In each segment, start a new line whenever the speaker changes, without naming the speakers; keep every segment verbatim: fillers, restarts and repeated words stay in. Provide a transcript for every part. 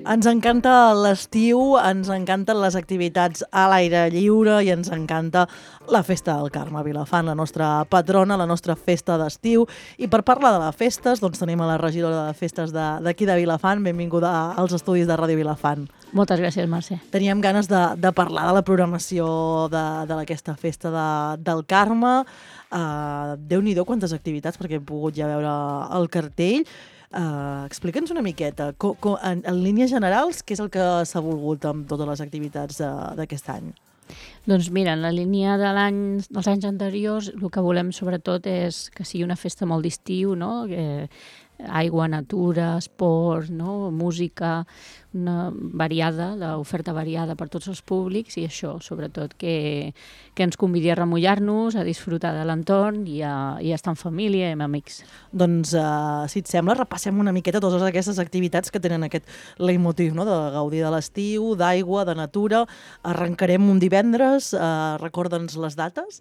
Ens encanta l'estiu, ens encanten les activitats a l'aire lliure i ens encanta la Festa del Carme a Vilafant, la nostra patrona, la nostra festa d'estiu. I per parlar de les festes, doncs tenim a la regidora de festes d'aquí de, de Vilafant. Benvinguda als estudis de Ràdio Vilafant.
Moltes gràcies, Mercè.
Teníem ganes de, de parlar de la programació d'aquesta festa de, del Carme. Uh, Déu-n'hi-do quantes activitats, perquè he pogut ja veure el cartell. Uh, Explica'ns una miqueta, co, co, en, en línies generals, què és el que s'ha volgut amb totes les activitats d'aquest any?
Doncs mira, en la línia de l'any, dels anys anteriors, el que volem sobretot és que sigui una festa molt d'estiu, no? Que, aigua, natura, esport, no? Música, una variada, l'oferta variada per tots els públics i això, sobretot, que, que ens convidi a remullar-nos, a disfrutar de l'entorn i, a, i a estar en família i amb amics.
Doncs, uh, si et sembla, repassem una miqueta totes aquestes activitats que tenen aquest leitmotiv, no? De gaudir de l'estiu, d'aigua, de natura. Arrencarem un divendres, uh, recorda'ns les dates.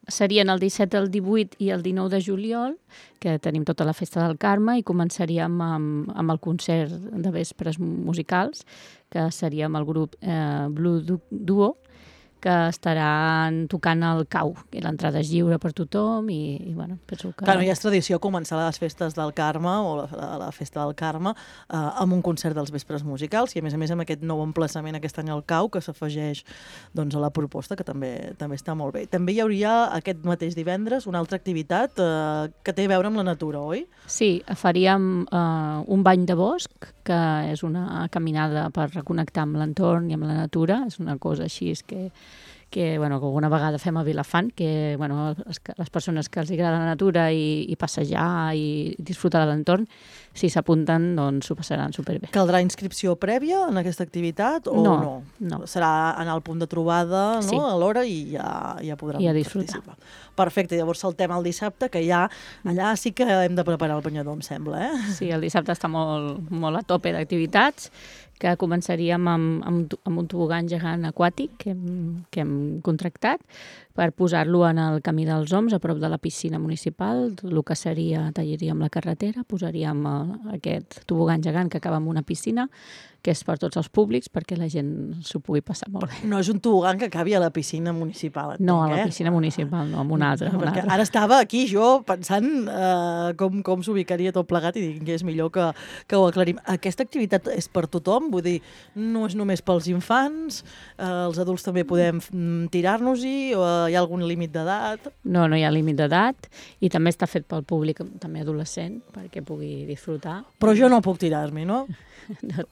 Serien el disset, el divuit i el dinou de juliol, que tenim tota la Festa del Carme, i començaríem amb, amb el concert de vespres musicals, que seria amb el grup eh, Blue Duo, que estaran tocant el cau, que l'entrada és lliure per tothom i, i bueno, penso que...
Clar, no, ja és tradició començar les festes del Carme o la, la festa del Carme eh, amb un concert dels vespres musicals i a més a més amb aquest nou emplaçament aquest any al cau que s'afegeix doncs, a la proposta, que també també està molt bé. També hi hauria aquest mateix divendres una altra activitat eh, que té a veure amb la natura, oi?
Sí, faríem eh, un bany de bosc, que és una caminada per reconnectar amb l'entorn i amb la natura, és una cosa així que que, bueno, que alguna vegada fem a Vilafant, que bueno, les, les persones que els agrada la natura i, i passejar i disfrutar de l'entorn, si s'apunten, doncs s'ho passaran superbé.
Caldrà inscripció prèvia en aquesta activitat o
no?
No,
no.
Serà anar al punt de trobada, no?
Sí.
A l'hora i ja, ja podran
I a
participar. Perfecte, llavors saltem el dissabte, que ja allà sí que hem de preparar el banyador, em sembla, eh?
Sí, el dissabte està molt, molt a tope d'activitats, que començaríem amb, amb, amb un tobogan gegant aquàtic que hem, que hem contractat per posar-lo en el camí dels Oms, a prop de la piscina municipal. El que seria, tallaríem la carretera, posaríem aquest tobogan gegant que acaba en una piscina, que és per tots els públics, perquè la gent s'ho pugui passar molt bé.
No és un tobogan que acabi a la piscina municipal, entenc,
No, a la
eh?
piscina municipal, no, amb una altra.
No,
una
perquè
altra.
ara estava aquí jo pensant eh, com, com s'ubicaria tot plegat i dic que és millor que, que ho aclarim. Aquesta activitat és per tothom? Vull dir, no és només pels infants? Eh, els adults també podem tirar-nos-hi? O hi ha algun límit d'edat?
No, no hi ha límit d'edat i també està fet pel públic també adolescent perquè pugui disfrutar.
Però jo no puc tirar-m'hi, no?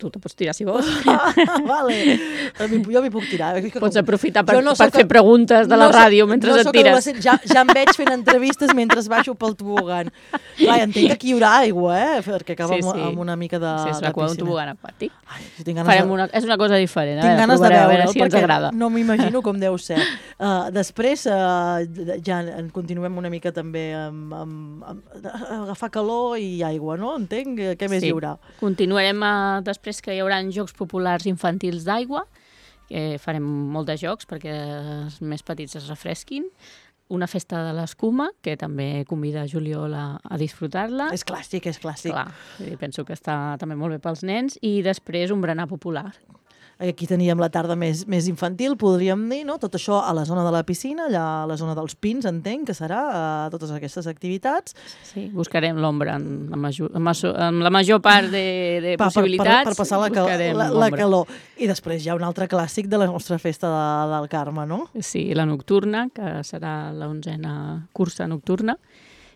Tu te pots tirar si vols.
Ah, vale. Jo m'hi puc tirar.
Pots aprofitar per,
no
per fer preguntes de la
no
ràdio
soc,
mentre
no
et tires.
Ja, ja em veig fent entrevistes mentre baixo pel tobogan. Clar, entenc que aquí hi haurà aigua, eh? Perquè acaba sí, sí. amb, amb una mica de,
sí, és
de
piscina. Sí, és
un
tobogan aquàtic.
Ai, si tinc ganes
Farem
de...
una, és una cosa diferent.
Tinc
a veure,
ganes de veure,
a veure si ens agrada.
No m'imagino com deu ser. Uh, després, uh, ja en continuem una mica també amb, amb, amb agafar calor i aigua, no? Entenc? Què més
sí.
hi haurà?
Continuarem uh, després que hi haurà jocs populars infantils d'aigua, que farem molt de jocs perquè els més petits es refresquin. Una festa de l'escuma, que també convida Juliol a, a disfrutar-la.
És clàssic, és clàssic.
Clar, penso que està també molt bé pels nens. I després un berenar popular.
Aquí teníem la tarda més, més infantil, podríem dir, no? Tot això a la zona de la piscina, allà a la zona dels pins, entenc que serà uh, totes aquestes activitats.
Sí, buscarem l'ombra en, en, en la major part de, de
pa,
possibilitats.
Per, per, per passar la, cal la, la calor. I després hi ha un altre clàssic de la nostra festa de, del Carme, no?
Sí, la nocturna, que serà l'onzena cursa nocturna,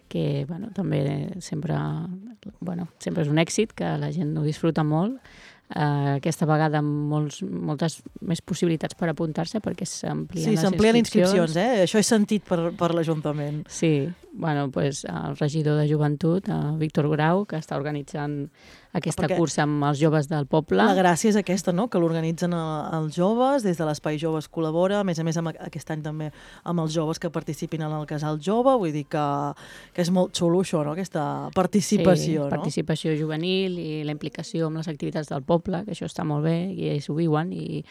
que bueno, també sempre, bueno, sempre és un èxit, que la gent ho disfruta molt. Uh, aquesta vegada amb molts, moltes més possibilitats per apuntar-se perquè s'amplien
sí,
les inscripcions. Sí,
s'amplien inscripcions, eh? Això he sentit per, per l'Ajuntament.
Sí, bueno, pues, el regidor de Joventut, Víctor Grau, que està organitzant aquesta perquè cursa amb els joves del poble.
La gràcia és aquesta, no?, que l'organitzen els joves, des de l'Espai Joves col·labora, a més a més amb aquest any també amb els joves que participin en el Casal Jove, vull dir que, que és molt xulo això, no?, aquesta participació.
Sí, participació
no?
juvenil i la implicació amb les activitats del poble, que això està molt bé i ells ho viuen i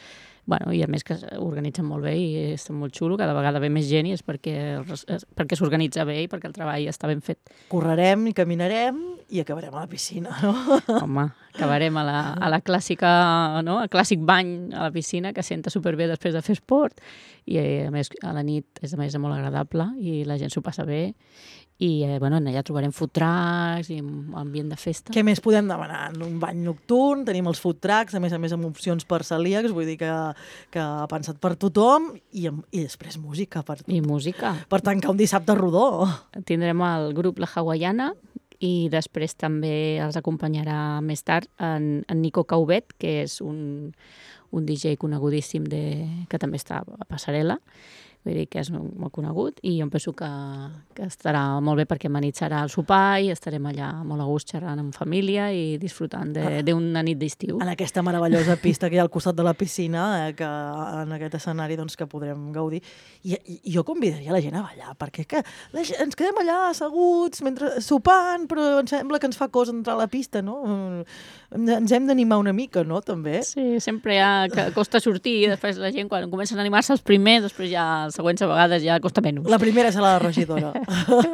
bueno, i a més que organitzen molt bé i és molt xulo, cada vegada ve més gent i és perquè, perquè s'organitza bé i perquè el treball està ben fet.
Correrem i caminarem i acabarem a la piscina, no?
Home, acabarem a la, a la clàssica, no? El clàssic bany a la piscina, que senta superbé després de fer esport, i a més a la nit és a més molt agradable i la gent s'ho passa bé. I eh, bueno, allà trobarem food trucks i ambient de festa.
Què més podem demanar? Un bany nocturn, tenim els food trucks, a més a més amb opcions per celíacs, vull dir que, que ha pensat per tothom, i, i després música. Per,
I música.
Per tancar un dissabte rodó.
Tindrem el grup La Hawaiana i després també els acompanyarà més tard en, en Nico Cauvet, que és un, un D J conegudíssim de, que també està a Passarel·la. Vull dir que és molt conegut i jo penso que, que estarà molt bé perquè amenitzarà el sopar i estarem allà molt a gust xerrant amb família i disfrutant d'una nit d'estiu.
En aquesta meravellosa pista que hi ha al costat de la piscina, eh, que en aquest escenari doncs, que podrem gaudir. I, i, i jo convidaria la gent a ballar, perquè que la gent, ens quedem allà asseguts mentre sopant, però em sembla que ens fa cosa entrar a la pista, no? Ens hem d'animar una mica, no?, també.
Sí, sempre ja que costa sortir i després la gent quan comencen a animar-se els primers, després ja els següents a vegades ja costa menys.
La primera serà la regidora.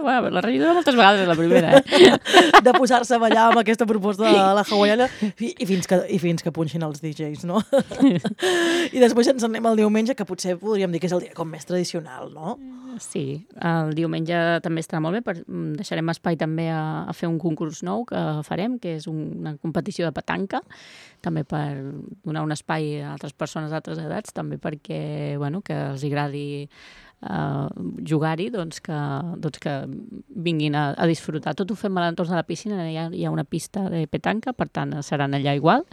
Bueno, la regidora moltes vegades és la primera, eh?
De posar-se a ballar amb aquesta proposta de la hawaiana i, i, fins que, i fins que punxin els D Js, no? I després ens anem al diumenge, que potser podríem dir que és el dia com més tradicional, no?
Sí, el diumenge també estarà molt bé, per, deixarem espai també a, a fer un concurs nou que farem, que és un, una competició de petanca, també per donar un espai a altres persones d'altres edats, també perquè, bueno, que els agradi uh, jugar-hi, doncs que, doncs que vinguin a, a disfrutar. Tot ho fem a l'entorn de la piscina, hi ha, hi ha una pista de petanca, per tant seran allà igual.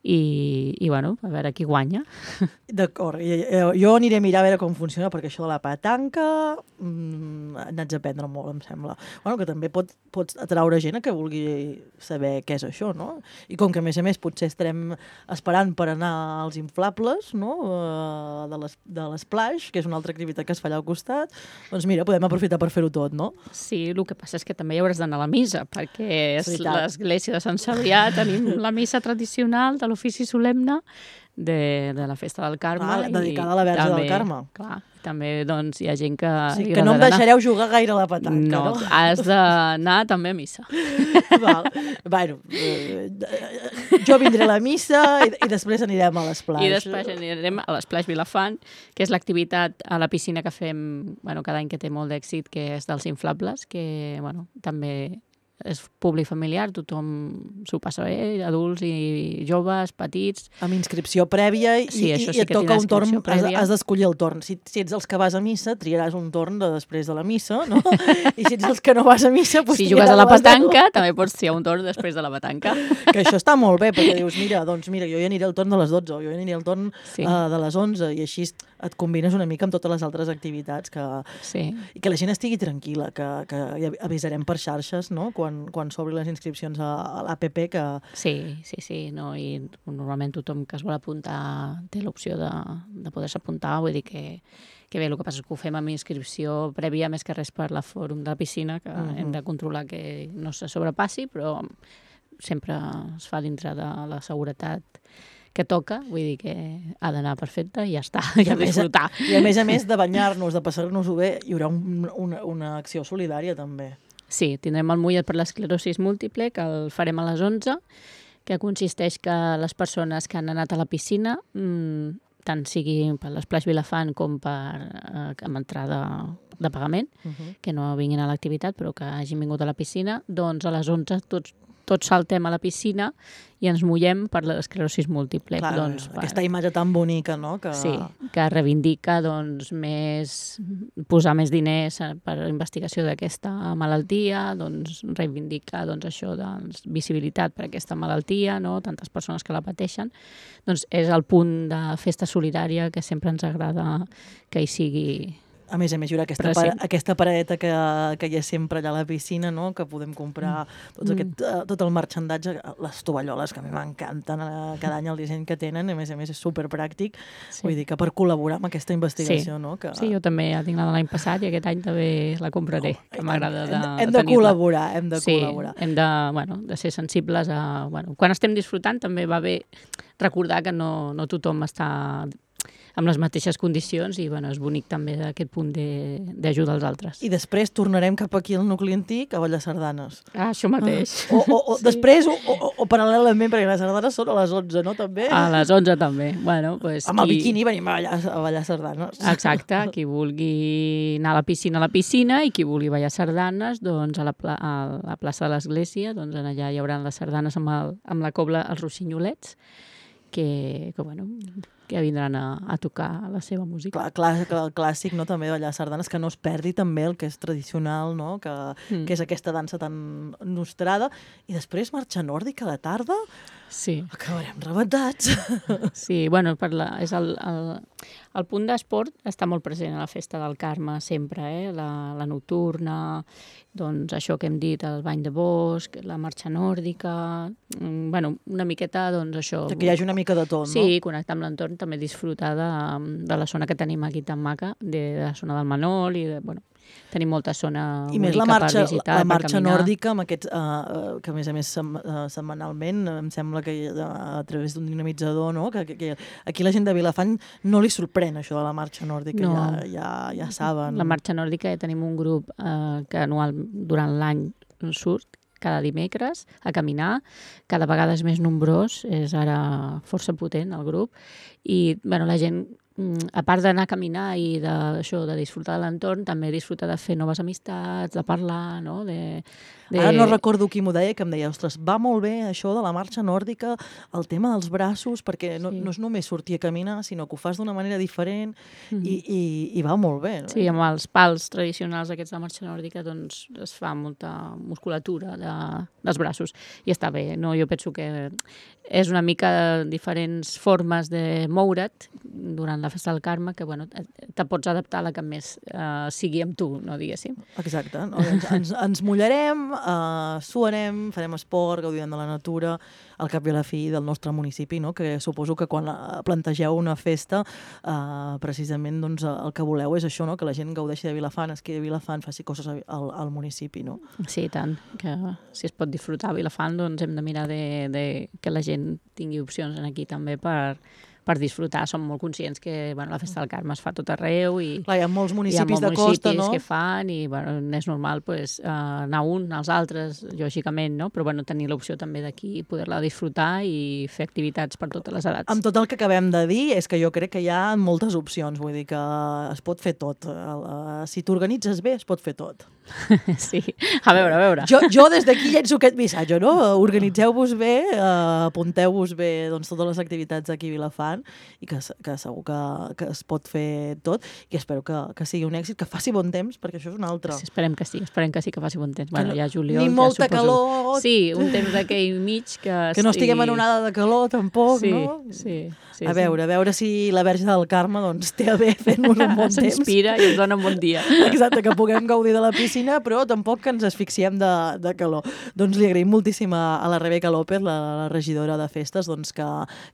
I, i bueno, a veure qui guanya.
D'acord, jo aniré a mirar a veure com funciona, perquè això de la petanca mmm, n'haig d'aprendre molt, em sembla. Bueno, que també pot, pots atraure gent a que vulgui saber què és això, no? I com que, a més a més, potser estarem esperant per anar als inflables, no?, de les, de l'Splash, que és una altra activitat que es fa allà al costat, doncs mira, podem aprofitar per fer-ho tot, no?
Sí, el que passa és que també hi hauràs d'anar a la missa, perquè és l'església de Sant Cebrià, tenim la missa tradicional de l'ofici solemne de, de la festa del Carme.
Ah, dedicada a la Verge
també,
del Carme.
Clar, també doncs, hi ha gent que...
Sí, que no em deixareu jugar gaire a la petanca,
no?
No,
has d'anar també a missa.
Val. Bueno, eh, jo vindré a la missa i, i després anirem a l'Splash.
I després anirem a l'Splash Vilafant, que és l'activitat a la piscina que fem bueno, cada any, que té molt d'èxit, que és dels inflables, que bueno, també és públic familiar, tothom s'ho passa bé, adults i joves, petits.
Amb inscripció prèvia i,
sí,
i,
sí
i et toca un torn, has, has d'escollir el torn. Si, si ets els que vas a missa, triaràs un torn de després de la missa, no? I si ets els que no vas a missa, doncs
si jugues a la petanca, també pots triar un torn després de la petanca.
Que això està molt bé, perquè dius, mira, doncs mira, jo ja aniré al torn de les dotze, o jo ja aniré al torn sí. uh, de les onze, i així et combines una mica amb totes les altres activitats que,
sí.
i que la gent estigui tranquil·la, que, que ja avisarem per xarxes, no?, quan, quan s'obri les inscripcions a, a l'A P P. Que...
Sí, sí, sí, no? I normalment tothom que es vol apuntar té l'opció de, de poder-se apuntar, vull dir que, que bé, el que passa és que ho fem amb inscripció prèvia, més que res per la fòrum de la piscina, que uh-huh. hem de controlar que no se sobrepassi, però sempre es fa dintre de la seguretat que toca, vull dir que ha d'anar perfecte i ja està, i a disfrutar.
I a més a més de banyar-nos, de passar-nos-ho bé, hi haurà un, una, una acció solidària també.
Sí, tindrem el mullet per l'esclerosis múltiple, que el farem a les onze, que consisteix que les persones que han anat a la piscina, mmm, tant sigui per l'Splash Vilafant com per eh, amb entrada de pagament, uh-huh. que no vinguin a l'activitat, però que hagin vingut a la piscina, doncs a les onze tots tots saltem a la piscina i ens mullem per l'esclerosis múltiple.
Clar,
doncs,
aquesta per... imatge tan bonica, no? Que...
Sí, que reivindica doncs, més, posar més diners per a la investigació d'aquesta malaltia, doncs, reivindica doncs, això, doncs, visibilitat per a aquesta malaltia, no? Tantes persones que la pateixen. Doncs és el punt de festa solidària que sempre ens agrada que hi sigui.
A més a més, hi haurà aquesta, pa aquesta paradeta que, que hi ha sempre allà a la piscina, no?, que podem comprar tots aquest, mm. tot el marxandatge, les tovalloles, que a mi m'encanten cada any el disseny que tenen, a més a més és superpràctic, sí. Vull dir que per col·laborar amb aquesta investigació,
sí.
no? Que...
Sí, jo també ja tinc la de l'any passat i aquest any també la compraré, oh, que m'agrada de,
hem, hem de col·laborar, hem de
sí,
col·laborar.
Hem de, bueno, de ser sensibles a... Bueno, quan estem disfrutant també va bé recordar que no, no tothom està amb les mateixes condicions i bueno, és bonic també aquest punt d'ajudar als altres.
I després tornarem cap aquí al nucli antic a ballar sardanes.
Ah, això mateix.
Ah. O, o, o sí. Després, o, o, o paral·lelament, perquè les sardanes són a les onze, no? També?
A les onze també. Bueno, pues,
amb el
qui...
biquini venim a ballar, a ballar sardanes.
Exacte, qui vulgui anar a la piscina, a la piscina, i qui vulgui ballar sardanes, doncs a la, pla a la plaça de l'església, doncs allà hi haurà les sardanes amb, el, amb la cobla, els rossinyolets, que, que bueno... que vindran a, a tocar la seva música.
Clar, clar, el clàssic, no?, també ballar sardanes, que no es perdi també el que és tradicional, no?, que, mm. que és aquesta dansa tan nostrada. I després marxa nòrdica a la tarda,
sí.
Acabarem rebentats.
Sí, bueno, per la, és el, el, el punt d'esport està molt present a la festa del Carme sempre, eh? La, la nocturna, doncs això que hem dit, el bany de bosc, la marxa nòrdica, bueno, una miqueta, doncs això...
Que hi hagi una mica de tot, no?
Sí, connectar amb l'entorn, també disfrutar de, de la zona que tenim aquí tan maca, de, de la zona del Manol, i de, bueno, tenim molta zona
I més la marxa,
per visitar,
la marxa
per caminar.
nòrdica, amb aquests, uh, que a més a més sem uh, setmanalment, em sembla que uh, a través d'un dinamitzador, no?, que, que, que aquí la gent de Vilafant no li sorprèn això de la marxa nòrdica,
no.
ja, ja, ja saben.
La marxa nòrdica ja tenim un grup uh, que anual durant l'any surt, cada dimecres, a caminar. Cada vegada és més nombrós, és ara força potent el grup, i bueno, la gent, a part d'anar a caminar i de, això, de disfrutar de l'entorn, també disfrutar de fer noves amistats, de parlar, no? De, de...
Ara no recordo qui m'ho deia, que em deia, ostres, va molt bé això de la marxa nòrdica, el tema dels braços, perquè no, sí. no és només sortir a caminar, sinó que ho fas d'una manera diferent mm. i, i, i va molt bé. No?
Sí, amb els pals tradicionals aquests de marxa nòrdica doncs es fa molta musculatura de, dels braços i està bé, no? Jo penso que és una mica diferents formes de moure't durant la festa del Carme, que bueno, te pots adaptar a la que més uh, sigui amb tu, no diguéssim.
Exacte. No? Ens, ens, ens mullarem, uh, suarem, farem esport, gaudirem de la natura, al cap i a la fi del nostre municipi, no? Que suposo que quan plantegeu una festa, uh, precisament doncs, el que voleu és això, no? Que la gent gaudeixi de Vilafant, es quedi a Vilafant, faci coses al, al municipi. No?
Sí, tant. Que si es pot disfrutar a Vilafant, doncs hem de mirar de, de que la gent tingui opcions aquí també per, per disfrutar. Som molt conscients que bueno, la festa del Carme es fa tot arreu i
clar, hi ha molts municipis,
hi ha molts
de costa,
municipis
no?
que fan i bueno, és normal pues, uh, anar un, als altres, lògicament, no? Però bueno, tenir l'opció també d'aquí, poder-la disfrutar i fer activitats per totes les edats.
Amb tot el que acabem de dir, és que jo crec que hi ha moltes opcions, vull dir que es pot fer tot. Si t'organitzes bé, es pot fer tot.
Sí, a veure, a veure.
Jo, jo des d'aquí llenço aquest missatge, no? Organitzeu-vos bé, uh, apunteu-vos bé doncs, totes les activitats d'aquí a Vilafant i que, que segur que, que es pot fer tot i espero que, que sigui un èxit, que faci bon temps, perquè això és un altre.
Sí, esperem que sí, esperem que sí que faci bon temps. Bueno,
no,
ja juliol,
ni molta
ja
calor.
Sí, un temps d'aquell mig que...
Que no estiguem en onada de calor, tampoc,
sí,
no?
Sí, sí.
A veure, sí. a veure si la Verge del Carme doncs, té a bé fer-nos un bon temps.
S'inspira i ens dona un bon dia.
Exacte, que puguem gaudir de la piscina, però tampoc que ens asfixiem de, de calor. Doncs li agraïm moltíssim a, a la Rebeca López, la, la regidora de festes, doncs, que,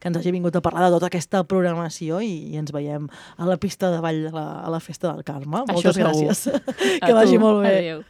que ens hagi vingut a parlar de tota aquesta programació i, i ens veiem a la pista de ball a la, a la festa del Carme.
Això
Moltes
segur.
gràcies. Que vagi molt bé.
Adéu.